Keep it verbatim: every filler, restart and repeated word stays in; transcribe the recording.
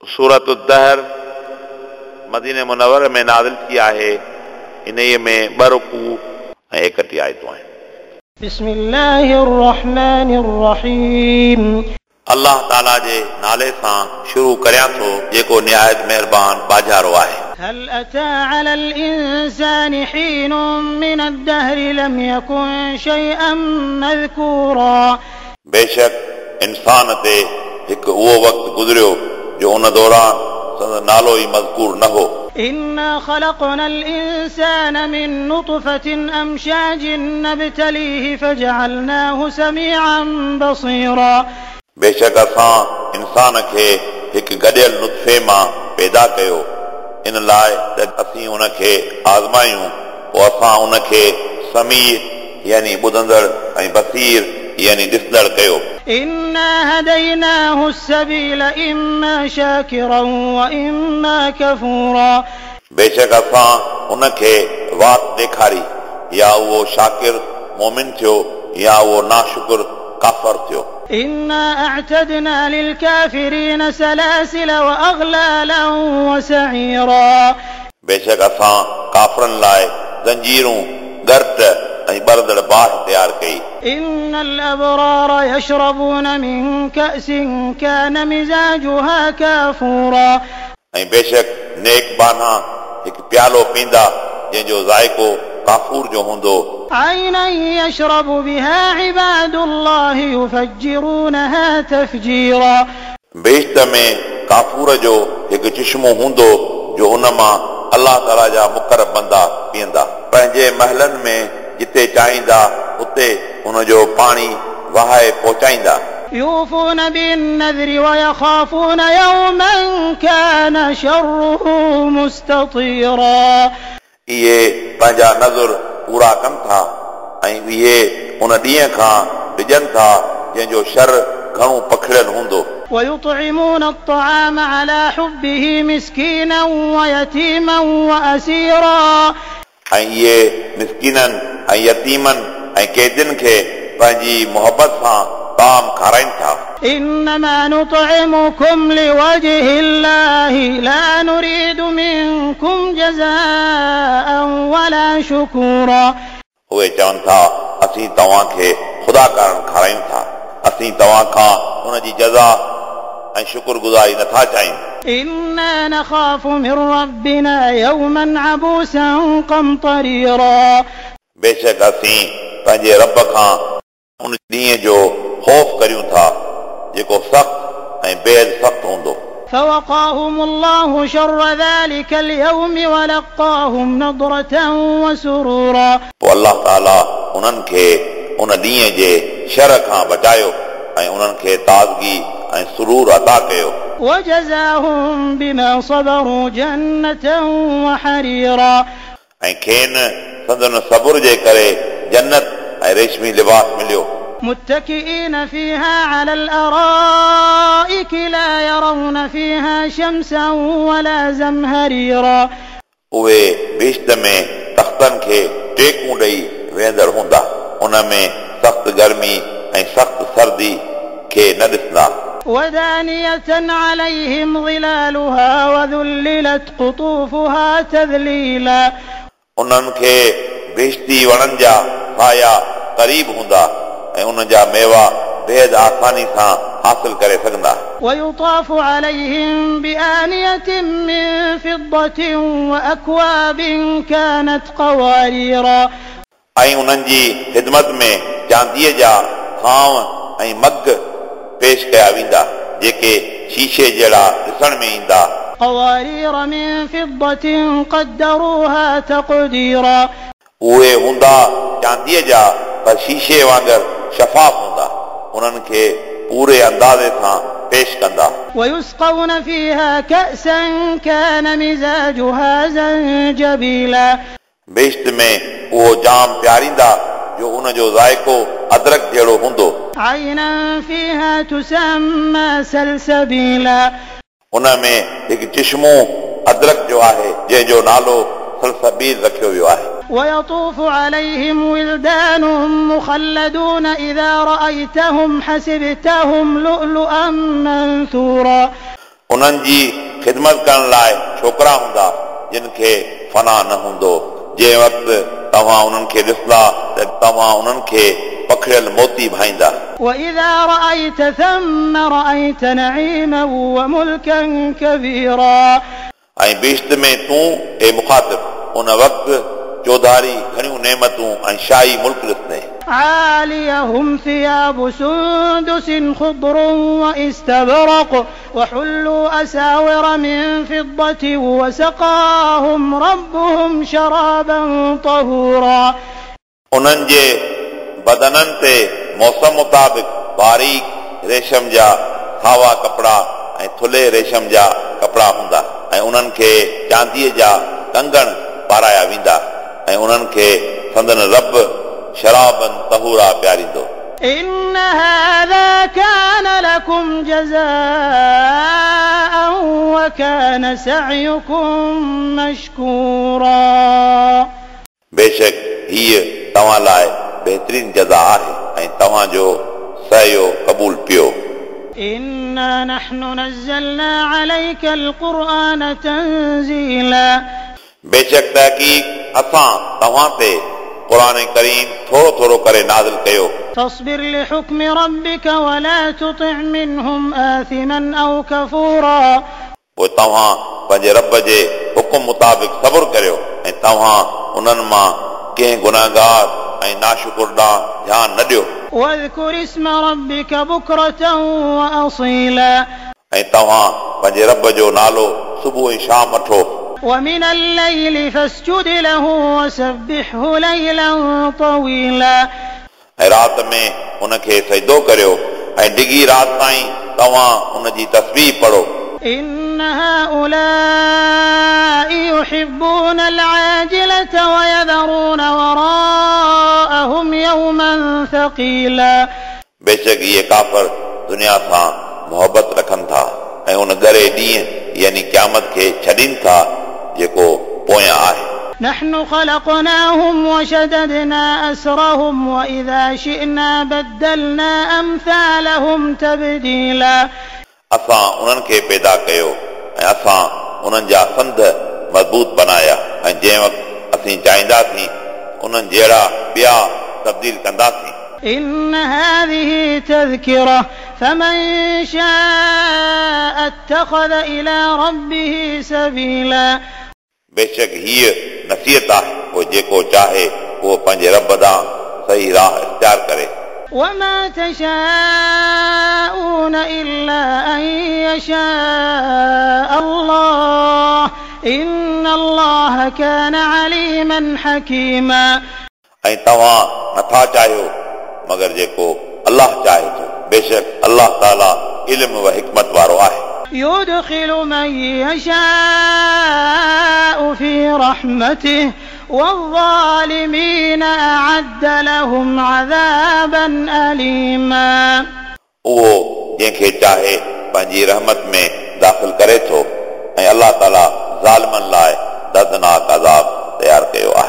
सूरत दहर मदीने मुनव्वर में नाज़िल थी आहे। इन्हीअ में ॿ रुकू ऐं एकटीह आयतूं आहिनि। बिस्मिल्लाहिर रहमानिर रहीम। अल्लाह ताला जे नाले सां शुरू करियां थो जेको निहायत महिरबान बाजारो आहे। हल अता अलल इंसानि हीनुम मिनद दहरि लम यकुन शैअन मज़कूरा। बेशक इंसान ते हिकु उहो वक़्तु गुज़रियो जो उन दौरान संदसि नालो ई मज़कूर न हो। इन्ना खलक़नल इंसान मिन नुतफ़तिन अमशाजिन नब्तलीहि फजअलनाहु समीअन बसीरा। बेशक असां इंसान खे हिकु गॾियल नुतफ़े मां पैदा कयो इन लाइ त असीं उनखे आज़मायूं, पोइ असां उनखे समीर यानी ॿुधंदड़ ऐं बसीर यानी ॾिसंदड़ कयो। इन्ना हदैनाहु अस्सबील इम्मा शाकिरन व इम्मा कफूरा। बेशक असां उनखे वात ॾेखारी, या उहो शाकिर मोमिन थियो या उहो नाशुक्र काफ़र थियो। इन्ना अअतदना लिलकाफिरीन सलासिल व अग़लालन व सईरा। बेशक असां काफ़रनि लाइ ज़ंजीरूं, गरट ऐं ॿरंदड़ बाहि तयारु कई। इन्नल अबरार यशरबून मिन कअसिन कान मिज़ाजुहा काफूरा। ऐं बेशक नेक बाना हिकु प्यालो पींदा जंहिंजो ज़ाइक़ो काफूर जो हूंदो। عينا يشرب بها عباد الله يفجرونها تفجيرا। बेश्त में काफूर जो हिकु चिश्मो हूंदो जो उन मां अल्लाह ताला जा मुक़रब बंदा पीअंदा। पंहिंजे महलनि में जिते चाहींदा उते उनजो पाणी वहाए पहुचाईंदा। يوفون بالنذر ويخافون يوما كان شره مستطيرا। इहे पंहिंजा नज़र पूरा कनि था ऐं इहे उन ॾींहं खां डिॼनि था जंहिंजो शर घणो पखिड़ियल हूंदो। ويطعمون الطعام على حبه مسكينا ويتيما وأسيرا। ऐं इहे मिसकीननि ऐं यतीमनि ऐं कैदियुनि खे पंहिंजी मोहबत सां ताम खाराइनि था। إنما نطعمكم لوجه الله لا نريد منكم جزاء ولا شكورا। उहे चवनि था असीं तव्हांखे ख़ुदा कारण खारायूं था, असीं तव्हां खां उनजी जज़ा ऐं शुक्रगुज़ारी नथा चाहियूं। إنا نخاف من ربنا يوما عبوسا قمطريرا। बेशक असीं पंहिंजे रब खां उन ॾींहं जो ख़ौफ़ करियूं था जेको सख़्तु ऐं बेहद सख़्तु हूंदो। فوقاهم الله شر ذلك اليوم ولقاهم نضرة وسرورا। पोइ अल्लाह ताला उन्हनि खे उन ॾींहं जे शर खां बचायो ऐं उन्हनि खे ताज़गी ऐं सुरूर अता कयो। وجزاهم بما صبروا جنة وحريرا। ऐं खेनि संदन सब्र जे करे जन्नत ऐं रेशमी लिबास मिलियो। متكئين فيها على الأرائك لا يرون فيها شمسا ولا زمهريرا। उहे बेश्त में तख़्तनि खे टेकूं ॾेई वेहंदड़ हूंदा, उन में सख़्तु गर्मी ऐं सख़्तु सर्दी खे न ॾिसंदा। ودانية عليهم ظلالها وذللت قطوفها تذليلا। उन्हनि खे बेश्ती वणनि जा साया क़रीब हूंदा ऐं उन्हनि जा मेवा बेहद आसानी सां हासिल करे सघंदा। ويطاف عليهم بآنية من فضة وأكواب كانت قواريرا। ऐं उन्हनि जी ख़िदमत में चांदीअ जा थांव ऐं मग पेश कया वेंदा जेके शीशे जहिड़ा ॾिसण में ईंदा। قوارير من فضة قدروها تقديرا। उहे हूंदा चांदीअ जा पर शीशे वांगुरु शफ़ाफ़ हूंदा, उन्हनि खे पूरे अंदाज़े सां पेश कंदा। ويسقون فيها كأسا كان مزاجها زنجبيلا। बेश्त में उहो जाम पीआरींदा जो उनजो ज़ाइक़ो अदरक जहिड़ो हूंदो। عينا فيها تسمى سلسبيلا। उन में हिकु चिश्मो अदरक जो आहे जंहिंजो नालो सलसबील रखियो वियो आहे। ويطوف عليهم ولدان مخلدون إذا رأيتهم حسبتهم لؤلؤا منثورا. उन्हनि जी ख़िदमत करण लाइ छोकिरा हूंदा जिन खे फना न हूंदो। जंहिं वक़्तु तव्हां उन्हनि खे ॾिसंदा त तव्हां उन्हनि खे पखड़ियल मोती भाईंदा। وإذا رأيت ثم رأيت نعيما وملكا كبيرا ऐं बहिश्त में तूं ए मुखातिब उन वक़्तु चौधारी घणियूं नेमतूं ऐं शाही मुल्क ॾिसंदे। عاليهم ثياب سندس خضر واستبرق وحلوا أساور من فضة وسقاهم ربهم شرابا طهورا उन्हनि जे बदननि ते मौसम मुताबिक़ बारीक रेशम जा सावा कपिड़ा ऐं थुल्हे रेशम जा कपिड़ा हूंदा ऐं उन्हनि खे चांदीअ जा कंगण पाराया वेंदा ऐं उन्हनि खे संदन रब शराबन तहूरा प्यारींदो। إن هذا كان لكم جزاء وكان سعيكم مشكورا बेशक हीअ तव्हां लाइ बहितरीन जज़ा आहे ऐं तव्हांजो सयो क़बूल पियो। إنا نحن نزلنا عليك القرآن تنزيلا बेशक तहक़ीक़ असां तव्हां ते क़ुर करीम थोरो थोरो करे नाज़िल कयो। فاصبر لحكم ربك ولا تطع منهم آثما أو كفورا पोइ तव्हां पंहिंजे रब जे हुकुम मुताबिक़ सब्र करियो ऐं तव्हां उन्हनि मां कंहिं गुनाहगार ऐं नाशुकुर ॾांहुं ध्यानु न ॾियो। واذكر اسم ربك بكرة وأصيلا ऐं तव्हां पंहिंजे रब जो नालो सुबुह ऐं शाम वठो। ومن الليل فاسجد له وسبحه ليلا طويلا ऐं राति में उनखे सजदो करियो ऐं डिघी राति ताईं तव्हां उन जी तस्बीह पढ़ो। إن هؤلاء يحبون العاجلة ويذرون وراءهم يوما ثقيلا बेशक इहे काफ़र दुनिया सां मोहबत रखनि था ऐं उन ॻरे ॾींहुं यानी क़यामत खे छॾीनि था जेको पोयां आहे। نحن خلقناهم وشددنا أسرهم وإذا شئنا بدلنا أمثالهم تبديلا असां उन्हनि खे पैदा कयो ऐं असां उन्हनि जा संध मज़बूत बनाया ऐं जंहिं वक़्तु असीं चाहींदासीं उन्हनि जहिड़ा ॿिया तब्दील कंदासीं। إن هذه تذكرة فمن شاء اتخذ إلى ربه سبيلا बेशक हीअ नसीहत आहे पोइ जेको चाहे उहो पंहिंजे रब ॾांहुं सही राह इख़्तियार करे। وما تشاءون إلا أن يشاء الله إن الله كان عليما حكيما ऐं तव्हां नथा चाहियो मगर जेको अलाह चाहे थो। बेशक अलाह ताला इल्म व हिकमत वारो आहे। يدخل من يشاء في رحمته والظالمين أعد لهم عذابا أليما उहो जंहिंखे चाहे पंहिंजी रहमत में दाख़िल करे थो ऐं अलाह ताला ज़ालिमनि लाइ दर्दनाक अज़ाब तयारु कयो आहे।